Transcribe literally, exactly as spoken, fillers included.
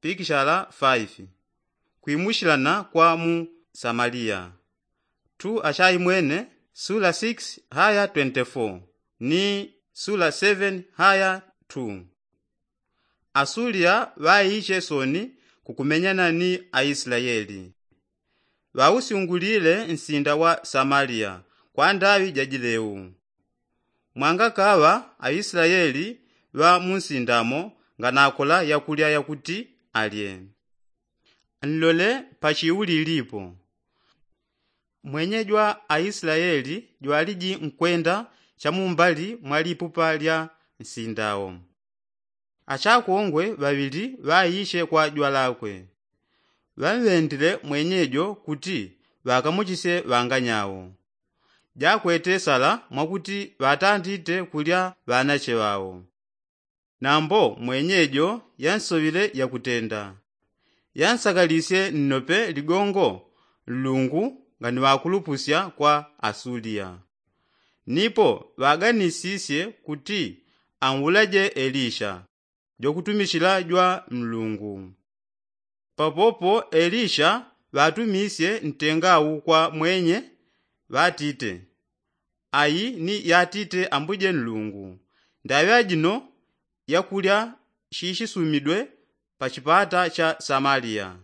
pikishala faifi. Kwimushilana kwa mu samaliya. Tu ashaimwene sula six haya twenty-four ni sula seven haya two. Asuliya ŵaiche soni kukumenyana ni aislaeli. Ŵausyungulile nsinda wa samaliya kwa ndaŵi jajileu. Mwangakaŵa aislaeli ŵa munsindamo nganakola yakulya yakuti alye. Nlole pachiulilipo. Mwenye jwa aislaeli jwaliji nkwenda chamumbali mwa lipupa lya nsindao. Achakongwe ŵaŵili ŵaiche kwa jwalakwe. Ŵamŵendile mwenyejo kuti ŵakamuchisye ŵanganyao. Jakwete sala mwakuti ŵatandite kulya ŵanache ŵao. Nambo mwenyejo yansoŵile yakutenda. Yansakalisye nnope ligongo nlungu nganiŵakulupusya kwa asuliya. Nipo ŵaganisisye kuti anwulaje elisha jokutumichila jwa nlungu. Papopo elisha ŵatumisye ntengau kwa mwenye ŵatite, ayi ni yatite ambuje nlungu, ndaŵi ajino yakulya shishisumidwe pachipata cha samaliya.